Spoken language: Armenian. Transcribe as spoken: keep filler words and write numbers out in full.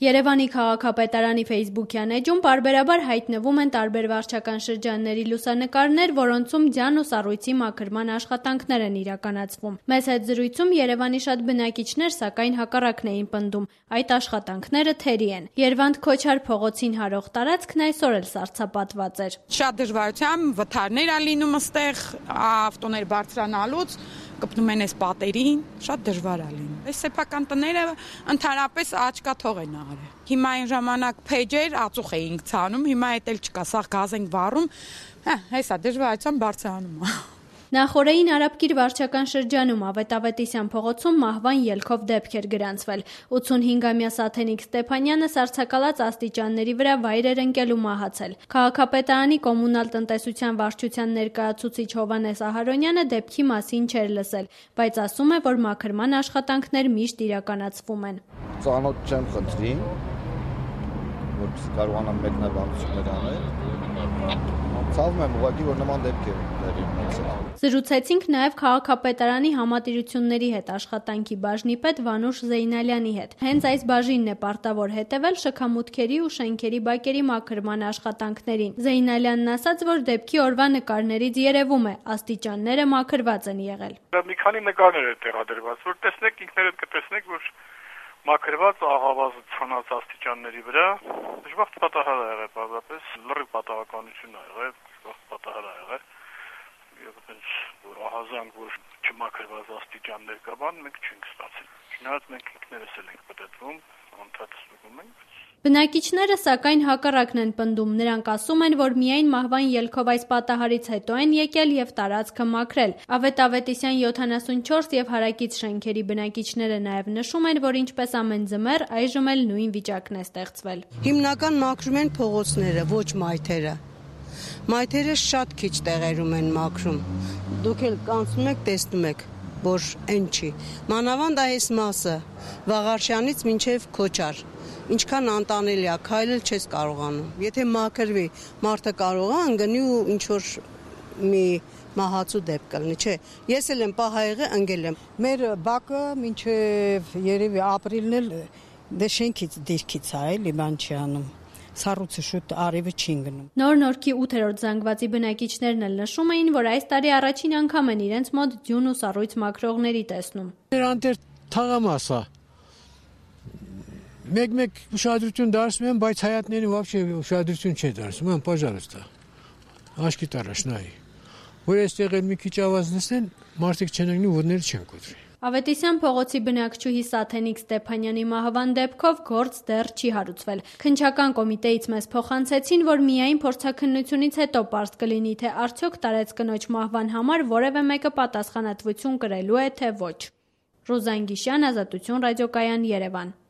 Երևանի քաղաքապետարանի ֆեյսբուքյան էջում պարբերաբար հայտնվում են տարբեր վարչական շրջանների լուսանկարներ, որոնցում ձյան ու սառույցի մաքրման աշխատանքներ են իրականացվում։ Մեծ հետ զրույցում Երևանի շատ բնակիչներ սակայն հակառակն էին պնդում։ Այդ աշխատանքները թերի են։ Երվանդ Քոչար փողոցին հարող տարածքն այսօր էլ սառցապատված էր։ Շատ դժվարությամբ վթարներ ա լինում այստեղ, ավտոներ բարձրանալուց կպնում են այս պատերին, շատ դժվար է լինում։ Այս սեփական տները ընդհանրապես աչքաթող են արել։ Հիմա այն ժամանակ փեջեր ածուխ էինք ցանում, հիմա էդ էլ չկա, սա գազ ենք վառում, հա, հեսա դժվարությամբ բարձրանում է։ Նախորդային Արաբկիր վարչական շրջանում Ավետ Ավետիսյան փողոցում մահվան ելքով դեպք էր գրանցվել։ ութունհինգամյա Սաթենիկ Ստեփանյանը սառցակալած աստիճանների վրա վայր էր ընկել ու մահացել։ Քաղաքապետարանի կոմունալ տնտեսության վարչության ներկայացուցիչ Հովհաննես Ահարոնյանը դեպքի մասին չէր լսել, բայց ասում է, որ մաքրման աշխատանքներ միշտ իրականացվում են։ Ծանոթ չեմ խնդրի, որպեսզի կարողանամ մեկնաբանություններ անել։ Ցավում եմ ուղղակի, որ նման դեպք է տեղի ունեցել։ Զրուցեցինք նաև քաղաքապետարանի համատիրությունների հետ աշխատանքի բաժնի պետ Վանուշ Զեյնալյանի հետ։ Հենց այս բաժինն է պարտավոր հետևել շքամուտքերի ու շենքերի բակերի մաքրման աշխատանքներին։ Զեյնալյանն ասաց, որ դեպքի օրվա նկարներից երևում է, աստիճանները մաքրված են եղել։ Մի քանի նկարներ է տեղադրված, որ տեսնեք, ինքներդ կտեսնեք, որ մաքրված աղավազը ցանած աստիճանների վրա դժբախտ պատահար է եղել, բազմապես լրիվ պատահականություն է եղել, դժբախտ պատահար է եղել։ Եվ այնպես որ ահազանգ որ չմաքրված աստիճաններ կա, բան մենք չենք ստացել։ Չնայած մենք ինքներս էլ ենք պատտվում, անդադ ստուգում ենք։ Բնակիչները սակայն հակառակն են պնդում, նրանք ասում են, որ միայն մահվան ելքով այս պատահարից հետո են եկել եւ տարածքը մաքրել։ Ավետ Ավետիսյան յոթանասունչորս եւ հարակից շենքերի բնակիչները նաեւ նշում են, որ ինչպես ամեն ձմեռ այժմ էլ նույն վիճակն է ստեղծվել։ Հիմնական մաքրում են փողոցները, ոչ մայթերը։ Մայթերը շատ քիչ տեղերում են մաքրում։ Դուք էլ կանցնում եք, տեսնում եք, որ այն չի։ Մանավանդ այս մասը Վաղարշյանից մինչև Քոչար։ Ինչքան անտանելի է, քայլել չես կարողանում։ Եթե մաքրվի, մարդը կարող է ընկնի ու ինչ որ մի մահացու դեպք կլինի, չէ։ Ես էլ եմ պահայղը ընկել եմ։ Մեր բակը մինչև երևի ապրիլն էլ դե շենքից դիրքից է, էլի բան չի անում։ Սառույցը շուտ արևը չի ընկնում։ Նոր Նորքի ութերորդ զանգվածի բնակիչներն էլ նշում էին, որ այս տարի առաջին անգամ են իրենց մոտ ձյուն ու սառույց մաքրողների տեսնում։ Նրանց թաղամասա մեկ-մեկ ուշադրություն դարձնում են, բայց հայատներին вообще ուշադրություն չի դարձնում, են պաժարստա։ Աշկի տարաշ նայ։ Որ այստեղ էլ մի քիչ ավազ լսեն, մարդիկ չեն ընկնի, որները չեն կոտրի։ Ավետիսյան փողոցի բնակչուհի Սաթենիկ Ստեփանյանի մահվան դեպքով գործ դեռ չի հարուցվել։ Քննչական կոմիտեից մեզ փոխանցեցին, որ միայն փորձաքննությունից հետո պարզ կլինի, թե արդյոք տարեց կնոջ մահվան համար որևէ մեկը պատասխանատվություն կրելու է, թե ոչ։ Ռուզան Գիշյան, Ազատություն ռադիոկայան, Երևան։